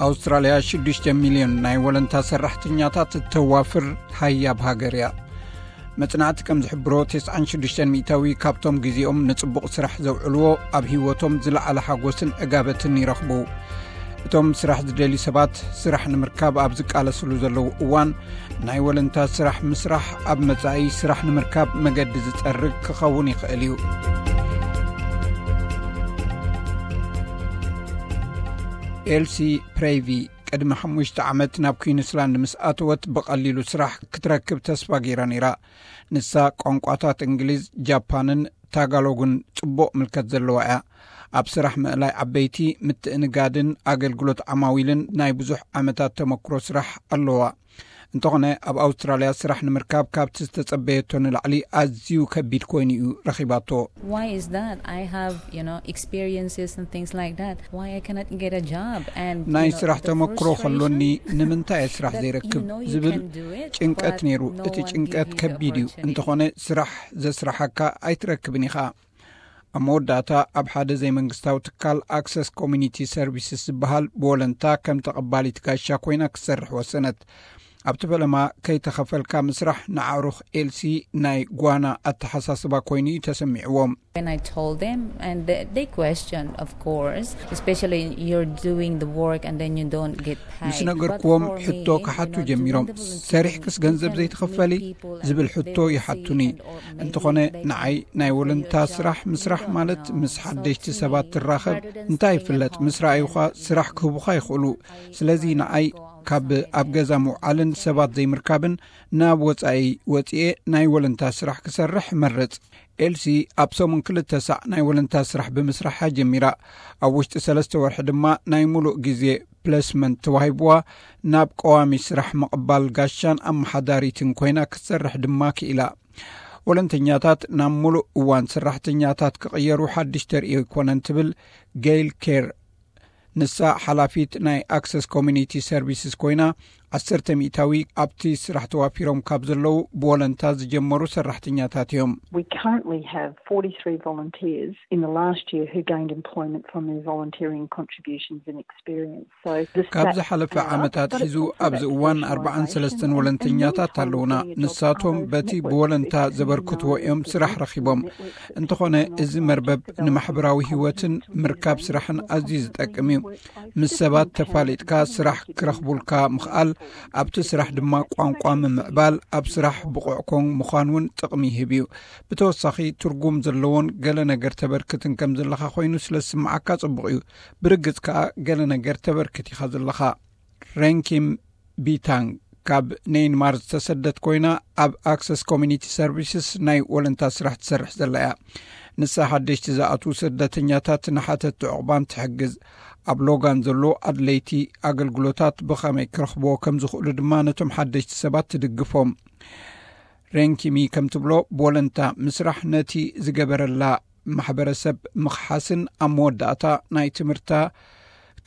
ኣውስትራልያ ሽዱሽተ ሚልዮን ናይ ወለንታ ሰራሕተኛታት እተዋፍር ሃያብ ሃገር እያ። መጽናዕቲ ከም ዝሕብሮ፣ ተስዓን ሽዱሽተን ሚእታዊ ካብቶም ግዜኦም ንጽቡቕ ስራሕ ዘውዕልዎ፣ ኣብ ህይወቶም ዝለዓለ ሓጎስን ዕጋበትን ይረኽቡ። እቶም ስራሕ ዝደልዩ ሰባት፣ ስራሕ ንምርካብ ኣብ ዝቃለስሉ ዘለዉ እዋን፣ ናይ ወለንታ ስራሕ ምስራሕ፣ ኣብ መጻኢ ስራሕ ንምርካብ መገዲ ዝጸርግ ክኸውን ይኽእል እዩ። ኤልሲ ፕሬቪ ቅድሚ ሓሙሽተ ዓመት ናብ ኩዊንስላንድ ምስ ኣተወት፣ ብቐሊሉ ስራሕ ክትረክብ ተስፋ ገይራ ነይራ። ንሳ ቋንቋታት እንግሊዝ፣ ጃፓንን ታጋሎግን ጽቡቕ ምልከት ዘለዋ እያ። ኣብ ስራሕ ምእላይ ዓበይቲ ምትእንጋድን ኣገልግሎት ዓማዊልን ናይ ብዙሕ ዓመታት ተመክሮ ስራሕ ኣለዋ። እንተኾነ፣ ኣብ ኣውስትራልያ ስራሕ ንምርካብ ካብቲ ዝተጸበየቶ ንላዕሊ ኣዝዩ ከቢድ ኮይኑ እዩ ረኺባቶ። Why is that? I have, you know, experiences and things like that. Why I cannot get a job? And ናይ you know, ስራሕ the ተመክሮ frustration ከሎኒ፣ ንምንታይ እየ ስራሕ that ዘይረክብ you know you ዝብል can do it, ጭንቀት but ነይሩ። no እቲ one ጭንቀት give you the ከቢድ እዩ። opportunity. እንተኾነ፣ ስራሕ ዘስራሓካ ኣይትረክብን ኢኻ። ኣብ መወዳእታ፣ ኣብ ሓደ ዘይመንግስታዊ ትካል ኣክሰስ ኮሚኒቲ ሰርቪስስ ዝበሃል ብወለንታ ከም ተቐባሊት ጋሻ ኮይና ክትሰርሕ ወሰነት። ኣብቲ ፈለማ፣ ከይተኸፈልካ ምስራሕ ንኣዕሩኽ ኤልሲ ናይ ጓና ኣተሓሳስባ ኮይኑ እዩ ተሰሚዕዎም። When I told them, and they, they questioned, of course, especially you're doing the work and then you don't get paid. ምስ ነገርክዎም፣ ሕቶ ክሓቱ ጀሚሮም። ሰሪሕክስ ገንዘብ ዘይትኽፈሊ ዝብል ሕቶ ይሓቱኒ። እንተኾነ፣ ንዓይ ናይ ወለንታ ስራሕ ምስራሕ ማለት ምስ ሓደሽቲ ሰባት ትራኸብ እንታይ ይፍለጥ፣ ምስ ረኣዩኻ ስራሕ ክህቡኻ ይኽእሉ። ስለዚ ንዓይ ካብ ኣብ ገዛ ምውዓልን ሰባት ዘይምርካብን ናብ ወጻኢ ወጺኤ ናይ ወለንታ ስራሕ ክሰርሕ እመርጽ። ኤልሲ ኣብ ሰሙን ክልተ ሳዕ ናይ ወለንታ ስራሕ ብምስራሓ ጀሚራ። ኣብ ውሽጢ ሰለስተ ወርሒ ድማ ናይ ሙሉእ ግዜ ፕለስመንት ተዋሂብዋ፣ ናብ ቀዋሚ ስራሕ ምቕባል ጋሻን ኣመሓዳሪትን ኮይና ክትሰርሕ ድማ ክኢላ። ወለንተኛታት ናብ ሙሉእ እዋን ሰራሕተኛታት ክቕየሩ ሓድሽ ተርእዮ ኣይኮነን ትብል ጌይል ኬር። ንሳ ሓላፊት ናይ ኣክሰስ ኮሚኒቲ ሰርቪስስ ኮይና፣ ዓሰርተ ሚእታዊ ኣብቲ ስራሕ ተዋፊሮም ካብ ዘለዉ ብወለንታ ዝጀመሩ ሰራሕተኛታት እዮም። We currently have forty-three volunteers in the last year who gained employment from their volunteering contributions and experience. So this, ካብ that, ዝሓለፈ uh, ዓመታት but it's ሒዙ also ኣብዚ about እዋን specialisation ኣርባዓን ሰለስተን and, and ወለንተኛታት many ኣለውና። senior jobs ንሳቶም are those በቲ network ብወለንታ based, ዘበርክትዎ you know, እዮም network ስራሕ system ረኺቦም። networks እንተኾነ፣ and እዚ also መርበብ developing ንማሕበራዊ confidence ህይወትን and ምርካብ training ስራሕን more ኣዝዩ confidently ዝጠቅም እዩ። workplace ምስ with ሰባት them ተፋሊጥካ empowering ስራሕ them to do ክረኽቡልካ more ምኽኣል፣ ኣብቲ ስራሕ ድማ ቋንቋ ምምዕባል፣ ኣብ ስራሕ ብቑዕ ኮን ምዃን እውን ጥቕሚ ይህብ እዩ። ብተወሳኺ፣ ትርጉም ዘለዎን ገለ ነገር ተበርክትን ከም ዘለኻ ኮይኑ ስለ ዝስምዓካ ጽቡቕ እዩ። ብርግጽ ከኣ፣ ገለ ነገር ተበርክት ኢኻ ዘለኻ። ሬንኪም ቢታንግ ካብ ኔይንማር ዝተሰደት ኮይና፣ ኣብ ኣክሰስ ኮሚኒቲ ሰርቪስስ ናይ ወለንታ ስራሕ ትሰርሕ ዘላ እያ። ንሳ ሓደሽቲ ዝኣትዉ ስደተኛታት ንሓተቲ ዕቑባን ትሕግዝ። ኣብ ሎጋን ዘሎ ኣድለይቲ ኣገልግሎታት ብኸመይ ክረኽብዎ ከም ዝኽእሉ ድማ ነቶም ሓደሽቲ ሰባት ትድግፎም። ሬንኪሚ ከም ትብሎ፣ ብወለንታ ምስራሕ ነቲ ዝገበረላ ማሕበረሰብ ምኽሓስን ኣብ መወዳእታ ናይ ትምህርታ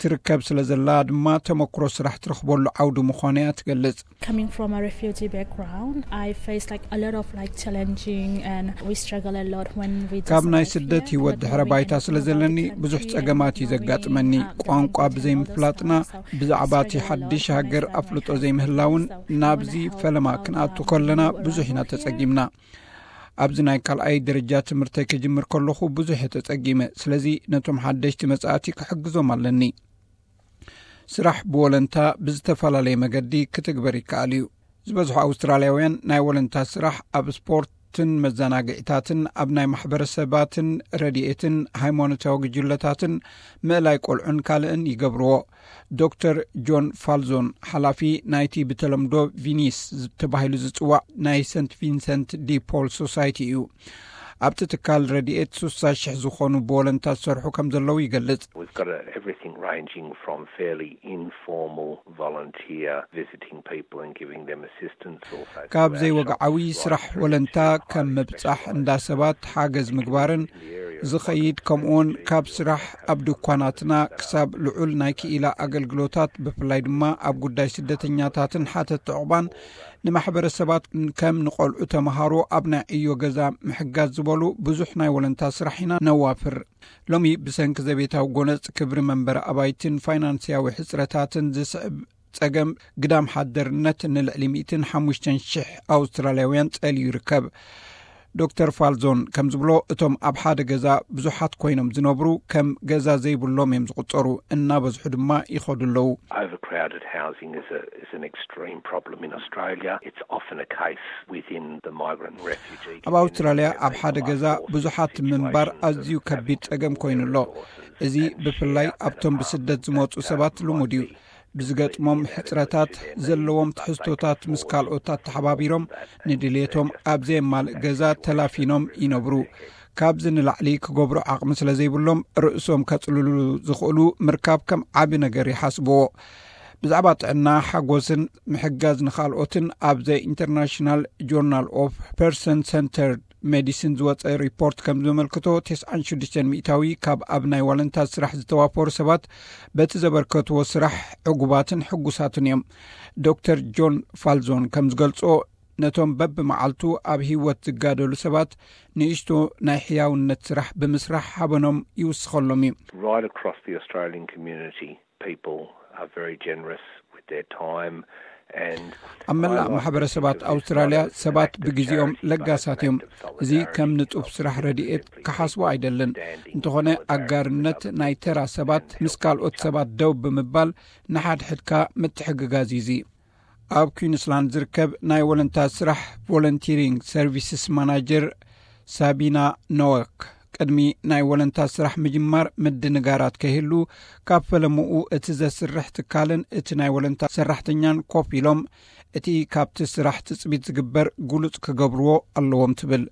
ትርከብ ስለ ዘላ ድማ ተመክሮ ስራሕ ትረኽበሉ ዓውዲ ምዃኑ እያ ትገልጽ። Coming from a refugee background, I faced like a lot of like challenging, and we struggle a lot when we ካብ ናይ just ስደት arrived here, ህይወት not ድሕረ knowing ባይታ anything ስለ about the ዘለኒ country ብዙሕ and ጸገማት እዩ knowing, ዘጋጥመኒ። uh, the ቋንቋ language and all those ብዘይምፍላጥና stuff. So ብዛዕባ እቲ struggle a ሓድሽ lot ሃገር with, ኣፍልጦ um, ዘይምህላውን struggle. So when ናብዚ I help ፈለማ out, ክንኣቱ um, ከለና people who are ብዙሕ ኢና not here, ተጸጊምና። ኣብዚ ናይ ካልኣይ ደረጃ ትምህርተይ ክጅምር ከለኹ ብዙሕ እየ ተጸጊመ። ስለዚ ነቶም ሓደሽቲ መጻእቲ ክሕግዞም ኣለኒ። ስራሕ ብወለንታ ብዝተፈላለየ መገዲ ክትግበር ይከኣል እዩ። ዝበዝሑ ኣውስትራልያውያን ናይ ወለንታ ስራሕ ኣብ ስፖርትን መዘናግዒታትን፣ ኣብ ናይ ማሕበረሰባትን ረድኤትን ሃይማኖታዊ ጉጅለታትን ምእላይ ቆልዑን ካልእን ይገብርዎ። ዶክተር ጆን ፋልዞን፣ ሓላፊ ናይቲ ብተለምዶ ቪኒስ ተባሂሉ ዝጽዋዕ ናይ ሰንት ቪንሰንት ዲ ፖል ሶሳይቲ እዩ። ኣብቲ ትካል ረድኤት ሱሳ ሽሕ ዝኾኑ ብወለንታ ዝሰርሑ ከም ዘለዉ ይገልጽ። We've got a, everything ranging from fairly informal volunteer visiting people and giving them assistance, also ካብ through our ዘይወግዓዊ shops, ስራሕ right through ወለንታ to ከም highly ምብጻሕ specialised እንዳ ሰባት ሓገዝ ምግባርን፣ in the area ዝኸይድ፣ ከምኡውን ካብ ስራሕ ኣብ ድኳናትና ክሳብ ልዑል ናይ ክኢላ ኣገልግሎታት፣ ብፍላይ ድማ ኣብ ጉዳይ ስደተኛታትን ሓተት ዕቑባን፣ ንማሕበረሰባት ከም ንቆልዑ፣ ተምሃሮ፣ ኣብ ናይ ዕዮ ገዛ ምሕጋዝ ዝበሉ ብዙሕ ናይ ወለንታ ስራሕ ኢና ነዋፍር። ሎሚ ብሰንኪ ዘቤታዊ ጎነጽ፣ ክብሪ መንበሪ ኣባይትን ፋይናንስያዊ ሕጽረታትን ዝስዕብ ጸገም ግዳም ሓደርነት ንልዕሊ ሚእትን ሓሙሽተን ሽሕ ኣውስትራልያውያን ጸልዩ ይርከብ። ዶክተር ፋልዞን ከም ዝብሎ፣ እቶም ኣብ ሓደ ገዛ ብዙሓት ኮይኖም ዝነብሩ ከም ገዛ ዘይብሎም እዮም ዝቑጸሩ፣ እናበዝሑ ድማ ይኸዱ ኣለዉ። Overcrowded housing is, a, is an extreme problem in Australia. It's often a case within the migrant refugee ኣብ ኣውስትራልያ ኣብ ሓደ ገዛ ብዙሓት ምንባር ኣዝዩ ከቢድ ጸገም ኮይኑ ኣሎ። እዚ ብፍላይ ኣብቶም ብስደት ዝመጹ ሰባት ልሙድ እዩ። ብዝገጥሞም ሕጽረታት፣ ዘለዎም ትሕዝቶታት ምስ ካልኦት ኣተሓባቢሮም፣ ንድሌቶም ኣብ ዘየማልእ ገዛ ተላፊኖም ይነብሩ። ካብዚ ንላዕሊ ክገብሩ ዓቕሚ ስለ ዘይብሎም፣ ርእሶም ከጽልሉ ዝኽእሉ ምርካብ ከም ዓቢ ነገር ይሓስብዎ። ብዛዕባ ጥዕና፣ ሓጎስን ምሕጋዝ ንኻልኦትን ኣብ ዘ ኢንተርናሽናል ጆርናል ኦፍ ፐርሰን ሰንተርድ ሜዲሲን ዝወጸ ሪፖርት ከም ዘመልክቶ፣ ተስዓን ሽዱሽተን ሚእታዊ ካብ ኣብ ናይ ዋለንታ ስራሕ ዝተዋፈሩ ሰባት በቲ ዘበርከትዎ ስራሕ ዕጉባትን ሕጉሳትን እዮም። ዶክተር ጆን ፋልዞን ከም ዝገልጾ፣ ነቶም በብመዓልቱ ኣብ ህይወት ዝጋደሉ ሰባት፣ ንእሽቶ ናይ ሕያውነት ስራሕ ብምስራሕ ሓበኖም ይውስኸሎም እዩ። Right across the Australian community, people are very generous with their time and ኣብ መላእ ማሕበረሰባት ኣውስትራልያ ሰባት ብግዜኦም ለጋሳት እዮም። እዚ ከም ንጡፍ ስራሕ ረድኤት ክሓስቦ ኣይደልን። እንተኾነ፣ ኣጋርነት ናይ ተራ ሰባት ምስ ካልኦት ሰባት ደው ብምባል ንሓድሕድካ ምትሕግጋዝ እዩ። እዚ ኣብ ኩዊንስላንድ ዝርከብ ናይ ወለንታ ስራሕ ቮለንቲሪንግ ሰርቪስስ ማናጀር ሳቢና ኖወክ፣ ቅድሚ ናይ ወለንታ ስራሕ ምጅማር ምድንጋራት ከይህሉ፣ ካብ ፈለምኡ እቲ ዘስርሕ ትካልን እቲ ናይ ወለንታ ሰራሕተኛን ኮፍ ኢሎም፣ እቲ ካብቲ ስራሕ ትጽቢት ዝግበር ግሉጽ ክገብርዎ ኣለዎም ትብል።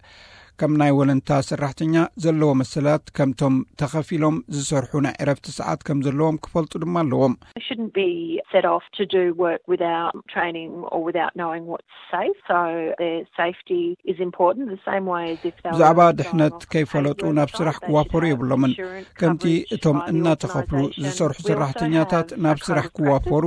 ከም ናይ ወለንታ ሰራሕተኛ ዘለዎ መሰላት፣ ከምቶም ተኸፊሎም ዝሰርሑ ናይ ዕረፍቲ ሰዓት ከም ዘለዎም ክፈልጡ ድማ ኣለዎም። They shouldn't be set off to do work without training or without knowing what's safe. So their safety is important, the same way as if they ብዛዕባ were going ድሕነት off ከይፈለጡ and ናብ ስራሕ ክዋፈሩ የብሎምን። ከምቲ እቶም እናተኸፍሉ ዝሰርሑ ሰራሕተኛታት ናብ ስራሕ ክዋፈሩ፣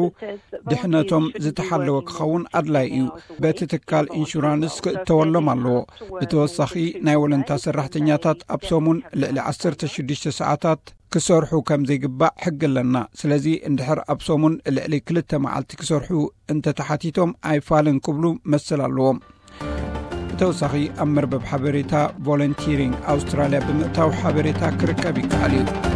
ድሕነቶም ዝተሓለወ ክኸውን ኣድላይ እዩ። በቲ ትካል ኢንሹራንስ ክእተወሎም ኣለዎ። ብተወሳኺ፣ ናይ ወለንታ ሰራሕተኛታት ኣብ ሰሙን ልዕሊ ዓሰርተ ሽዱሽተ ሰዓታት ክሰርሑ ከም ዘይግባእ ሕጊ ኣለና። ስለዚ፣ እንድሕር ኣብ ሰሙን ልዕሊ ክልተ መዓልቲ ክሰርሑ እንተተሓቲቶም፣ ኣይፋልን ክብሉ መሰል ኣለዎም። ብተወሳኺ፣ ኣብ መርበብ ሓበሬታ ቮለንቲሪንግ ኣውስትራልያ ብምእታው ሓበሬታ ክርከብ ይከኣል እዩ።